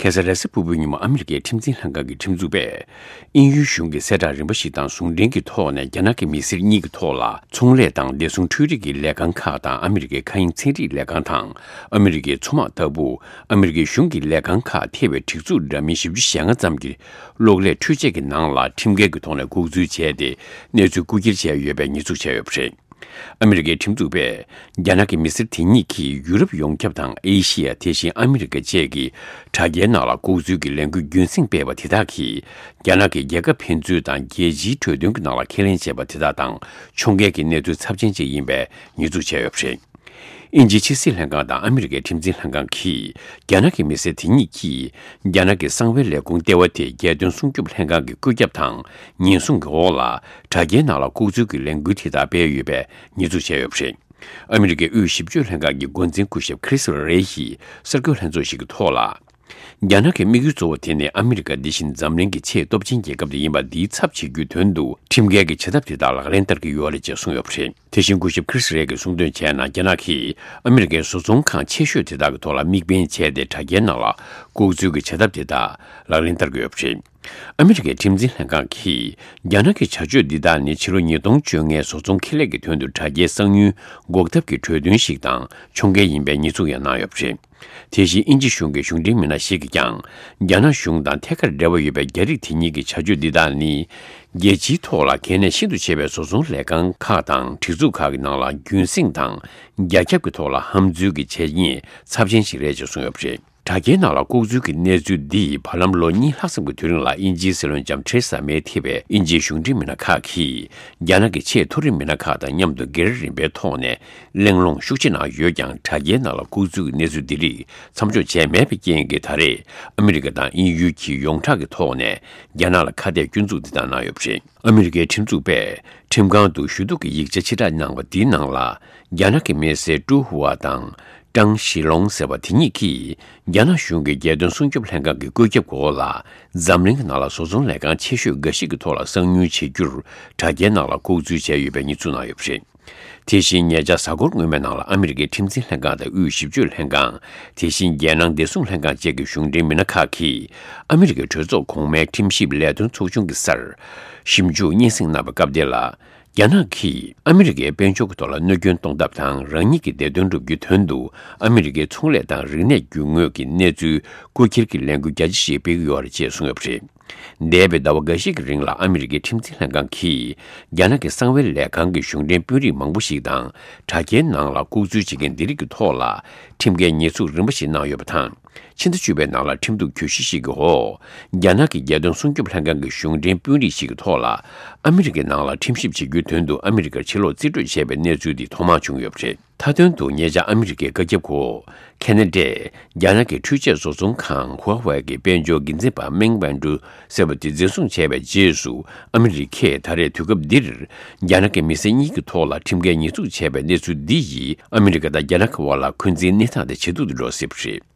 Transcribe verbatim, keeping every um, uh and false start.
ཁ་སང་རེས་གཟའ་ཕུར་བུའི་ཉིན་མོ་ཨ་མི་རི་ཀའི་ཁྲིམས་འཛིན་ལྷན་ཁང་གི་ཁྲིམས་འཛུགས་པས། དབྱིན་ཡུལ་གཞུང་གི་གསལ་བསྒྲགས་རིམ་པ་ཞིག་དང་ཟུང་འབྲེལ་གྱི་ཐོག་ནས་རྒྱ་ནག་གི་མི་སེར་གཉིས་ཀྱི་ཐོག་ལ་ཚོང་ལས་དང་བདེ་སྲུང་འཕྲུལ་རིག་གི་ལས་ཁང་ཁག་དང་ཨ་མི་རི་ཀའི་མཁའ་དབྱིངས་ཚན་རིག་ལས་ཁང་དང་ཨ་མི་རི་ཀའི་མཚོ་དམག་ལྟ་བུ་ཨ་མི་རི་ཀའི་གཞུང་གི་ལས་ཁང་ཁག་ཐེ་བའི་སྒྲིག་འཛུགས་འདྲ་མིན་བཞི་བཅུ་ཞེ་ལྔ་ཙམ་གྱི་གློག་ཀླད་འཕྲུལ་ཆས་ཀྱི་ནང་ལ་ཁྲིམས་འགལ་གྱི་ཐོག་ནས་ལྐོག་འཛུལ་བྱས་ཏེ་གནས་ཚུལ་རྐུ་འཁྱེར་བྱས་ཡོད་པའི་ཉེས་འཛུགས་བྱས་ཡོད་པ་རེད། ཨ་མི་རི་ཀའི་ཁྲིམས་འཛུགས་པས། རྒྱ་ནག་གི་མི་སེར་དེ་གཉིས་ཀྱིས་ཡུ་རོབ་ཡོངས་ཁྱབ་དང་ཨེ་ཤི་ཡ། དེ་བཞིན་ཨ་མི་རི་ཀ་བཅས་ཀྱི་དྲ་རྒྱའི་ནང་ལ་ལྐོག་འཛུལ་གྱི་ལས་འགུལ་རྒྱུན་བསྲིངས་སྤེལ་བ་དེ་དག་གིས། རྒྱ་ནག་གི་རྒྱལ་ཁབ་ཕན་ཚུན་དང་རྒྱལ་སྤྱིའི་གྲོས་མཐུན་གྱི་ནང་ལ་ཁས་ལེན་བྱས་པ་དེ་དག་དང་ཕྱོགས་འགལ་གྱི་གནས་ཚུལ་ཚབས་ཆེན་ཅིག་ཡིན་པའི་ཉེས་འཛུགས་བྱས་ཡོད་པ་རེད། དབྱིན་ཇིའི་ཕྱི་སྲིད་ལྷན་ཁང་དང་ཨ་མི་རི་ཀའི་ཁྲིམས་འཛིན་ལྷན་ཁང་གིས། རྒྱ་ནག་གི་མི་སེར་དེ་གཉིས་ཀྱིས། རྒྱ་ནག་གི་གསང་བའི་ལས་ཁུངས་ལྟེ་བ་དེ་རྒྱལ་དོན་སྲུང་སྐྱོབ་ལྷན་ཁང་གི་བཀོད་ཁྱབ་དང་ཉེན་སྲུང་གི་འོག་ལ། དྲ་རྒྱའི་ནང་ལ་ལྐོག་འཛུལ་གྱི་ལས་འགུལ་དེ་དག་སྤེལ་ཡོད་པའི་ཉེས་འཛུགས་བྱས་ཡོད་པ་རེད། ཨ་མི་རི་ཀའི་དབུས་ཞིབ་དཔྱོད་ལྷན་ཁང་གི་འགོ་འཛིན་སྐུ་ཞབས་ཁྲིས་རེ་ཡིས་གསར་འགོད་ལྷན་ཚོགས་ཤིག་གི་ཐོག་ལ། རྒྱ་ནག་གི་དམིགས་ཡུལ་གཙོ་བོ་དེ་ནི་ཨ་མི་རི་ཀ་འདི་བཞིན་འཛམ་གླིང་གི་ཆེས་སྟོབས་ཆེན་རྒྱལ་ཁབ་དེ་ཡིན་པ་འདིའི་ཚབ་བྱེད་རྒྱུའི་དོན་དུ་ཁྲིམས་འགལ་གྱི་བྱ་ཐབས་དེ་དག་ལག་ལེན་བསྟར་གྱི་ཡོད་རེད་ཅེས་གསུངས་ཡོད་པ་རེད། དེ་བཞིན་སྐུ་ཞབས་ཁྲིས་རེ་གིས་གསུངས་དོན་བྱས་ན། རྒྱ་ནག་གིས་ཨ་མི་རི་ཀའི་བཟོ་ཚོང་ཁང་ཆེ་ཤོས་དེ་དག་གི་ཐོག་ལ་དམིགས་འབེན་བྱས་ཏེ་དྲ་རྒྱའི་ནང་ལ་ལྐོག་འཛུལ་གྱི་བྱ་ཐབས་དེ་དག་ལག་ལེན་བསྟར་གྱི་ཡོད་པ་རེད། ཨ་མི་རི་ཀའི་ཁྲིམས་འཛིན་ལྷན་ཁང་གིས་རྒྱ་ནག་གི་བྱ་སྤྱོད་འདི་དག་ནི་ཕྱི་ལོ་ཉིས་སྟོང་བཅོ་ལྔའི་བཟོ་ཚོང་ཁེ་ལས་ཀྱི་དོན་དུ་དྲ་རྒྱའི་གསང་མྱུལ་འགོག་ཐབས་ཀྱི་གྲོས་མཐུན་ཞིག་དང་ཕྱོགས་འགལ་ཡིན་པའི་ཉེས་འཛུགས་ཡང་གནང་ཡོད་པ་རེད། དེ་བཞིན་དབྱིན་ཇི་གཞུང་གི་གཞུང་འབྲེལ་མི་སྣ་ཞིག་གིས་ཀྱང་། རྒྱ་ནག་གཞུང་དང་ཐད་ཀར་འབྲེལ་བ་ཡོད་པའི་རྒྱ་རིགས་དེ་གཉིས་ཀྱི་བྱ་སྤྱོད་འདི་དག་ནི། རྒྱལ་སྤྱིའི་ཐོག་ལ་གལ་གནད་ཤིན་ཏུ་ཆེ་བའི་བཟོ་ཚོང་ལས་ཁང་ཁག་དང་སྒྲིག་འཛུགས་ཁག་གི་ནང་ལ་རྒྱུན་བསྲིངས་དང་རྒྱ་ཁྱབ་ཀྱི་ཐོག་ལ་ཧམ་འཛུལ་གྱི་བྱས་ཉེས་ཚབས་ཆེན་ཞིག་རེད་ཅེས་གསུངས་ཡོད་པ་རེད། དྲ་རྒྱའི་ནང་ལ་ལྐོག་འཛུལ་གྱི་གནས་ཚུལ་འདི་ཡིས་བར་ལམ་ལོ་གཉིས་ལྷག་ཙམ་གྱི་དུས་རིང་ལ་དབྱིན་ཇིའི་སྲིད་བློན་ལྕམ་ཐེ་རེ་ས་མེ་ཐེ་བའི་དབྱིན་ཇིའི་གཞུང་འབྲེལ་མི་སྣ་ཁག་གིས་རྒྱ་ནག་གི་ཆེས་མཐོ་རིམ་མི་སྣ་ཁག་དང་མཉམ་དུ་སྒེར་རིམ་པའི་ཐོག་ནས་གླེང་སློང་ཤུགས་ཆེ་གནང་ཡོད་ཀྱང་། དྲ་རྒྱའི་ནང་ལ་ལྐོག་འཛུལ་གྱི་གནས་ཚུལ་འདི་རིགས་མཚམས་འཇོག་བྱས་མེད་པའི་རྐྱེན་གྱིས། ད་རེས་ཨ་མི་རི་ཀ་དང་དབྱིན་ཡུལ་གྱིས་ཡོངས་གྲགས་ཀྱི་ཐོག་ནས་རྒྱ་ནག་ལ་ཁ་གཏད་སྐྱོན་འཛུགས་འདི་དག་གནང་ཡོད་པ་རེད། ཨ་མི་རི་ཀའི་ཁྲིམས་འཛུགས་པས་ཁྲིམས་ཁང་དུ་ཞུ་གཏུག་གི་ཡིག་ཆ་ཕྱིར་བསྒྲགས་གནང་བ་འདིའི་ནང་ལ། རྒྱ་ནག་གི་མི་སེར་ཀྲུའུ་ཧུའ་དང་ཀྲང་ཞི་ལོང་ཟེར་བ་དེ་གཉིས་ཀྱིས། རྒྱ་ནག་གཞུང་གི་རྒྱལ་དོན་སྲུང་སྐྱོབ་ལྷན་ཁང་གི་བཀོད་ཁྱབ་འོག་ལ། འཛམ་གླིང་གི་ནང་ལ་བཟོ་ཚོང་ལས་ཁང་ཆེ་ཤོས་འགའ་ཞིག་གི་ཐོག་ལ་གསང་ཉུལ་བྱེད་རྒྱུར། དྲ་རྒྱའི་ནང་ལ་ལྐོག་འཛུལ་བྱས་ཡོད་པའི་ཉེས་འཛུགས་གནང་ཡོད་པ་རེད། དེ་བཞིན་ཉེ་ཆར་གཟའ་འཁོར་སྔོན་མའི་ནང་ལ་ཨ་མི་རི་ཀའི་ཁྲིམས་འཛིན་ལྷན་ཁང་དང་དབུས་ཞིབ་དཔྱོད་ལྷན་ཁང་། དེ་བཞིན་རྒྱལ་ནང་བདེ་སྲུང་ལྷན་ཁང་བཅས་ཀྱི་གཞུང་འབྲེལ་མི་སྣ་ཁག་གིས། ཨ་མི་རི་ཀའི་གྲོས་ཚོགས་གོང་མའི་ཁྲིམས་ཞིབ་ལས་དོན་ཚོགས་ཆུང་གི་སར། ཞིབ་འཇུག་སྙན་སེང་གནང་བའི་སྐབས་དེ་ལ། རྒྱ་ནག་གིས་ཨ་མི་རི་ཀའི་དཔལ་འབྱོར་གྱི་ཐོག་ལ་གནོད་སྐྱོན་གཏོང་ཐབས་དང་། རང་ཉིད་ཀྱི་བདེ་དོན་སྒྲུབ་རྒྱུའི་དོན་དུ། ཨ་མི་རི་ཀའི་ཚོང་ལས་དང་རིག་གནས་རྒྱུ་དངོས་ཀྱི་གནས་ཚུལ་རྐུ་འཁྱེར་གྱི་ལས་འགུལ་རྒྱ་ཆེ་ཞིག་སྤེལ་གྱི་ཡོད་རེད་ཅེས་གསུངས་ཡོད་པ་རེད། འདས་པའི་ཟླ་བ་འགའ་ཤས་ཀྱི་རིང་ལ་ཨ་མི་རི་ཀའི་ཁྲིམས་འཛིན་ལྷན་ཁང་གིས། རྒྱ་ནག་གི་གསང་བའི་ལས་ཁང་གི་གཞུང་འབྲེལ་དཔོན་རིགས་མང་པོ་ཞིག་དང་། དྲ་རྒྱའི་ནང་ལ་ལྐོག་འཛུལ་བྱེད་མཁན་འདི་རིགས་ཀྱི་ཐོག་ལ། ཁྲིམས་འགལ་ཉེས་འཛུགས་རིམ་པ་ཞིག་གནང་ཡོད་པ་དང་། ཕྱི་ཟླ་བཅུ་པའི་ནང་ལ་ཁྲིམས་གཏུག་གྱོད་གཞི་ཞིག་གི་འོག་རྒྱ་ནག་གི་རྒྱལ་དོན་སྲུང་སྐྱོབ་ལྷན་ཁང་གི་གཞུང་འབྲེལ་དཔོན་རིགས་ཤིག་གི་ཐོག་ལ། ཨ་མི་རི་ཀའི་ནང་ལ་ཁྲིམས་ཞིབ་བྱེད་རྒྱུའི་དོན་དུ་ཨ་མི་རི་ཀར་ཕྱིར་ལོག་རྩིས་སྤྲོད་བྱས་པའི་གནས་ཚུལ་འདི་ཐོག་མར་བྱུང་ཡོད་པ་རེད། མཐའ་དོན་དུ་ཉེ་ཆར་ཨ་མི་རི་ཀའི་བཀའ་ཁྱབ་འོག་ཁེ་ན་ཌས་རྒྱ་ནག་གི་འཕྲུལ་ཆས་བཟོ་ཚོང་ཁང་ཧྭ་ཝེ་གི་དཔལ་འབྱོར་འགན་འཛིན་པ་མེང་ཝན་ཀྲུའུ་ཟེར་བ་དེ་འཛིན་བཟུང་བྱས་པའི་རྗེས་སུ། ཨ་མི་རི་ཀས་ད་རེས་དུས་སྐབས་འདིར། རྒྱ་ནག་གི་མི་སེར་གཉིས་ཀྱི་ཐོག་ལ་ཁྲིམས་འགལ་ཉེས་འཛུགས་བྱས་པའི་གནས་ཚུལ་འདི་ཡིས། ཨ་མི་རི་ཀ་དང་རྒྱ་ནག་གི་དབར་ལ་འཁོན་འཛིན་གནས་སྟངས་དེ་ཇེ་སྡུག་ཏུ་འགྲོ་སྲིད་པ་རེད།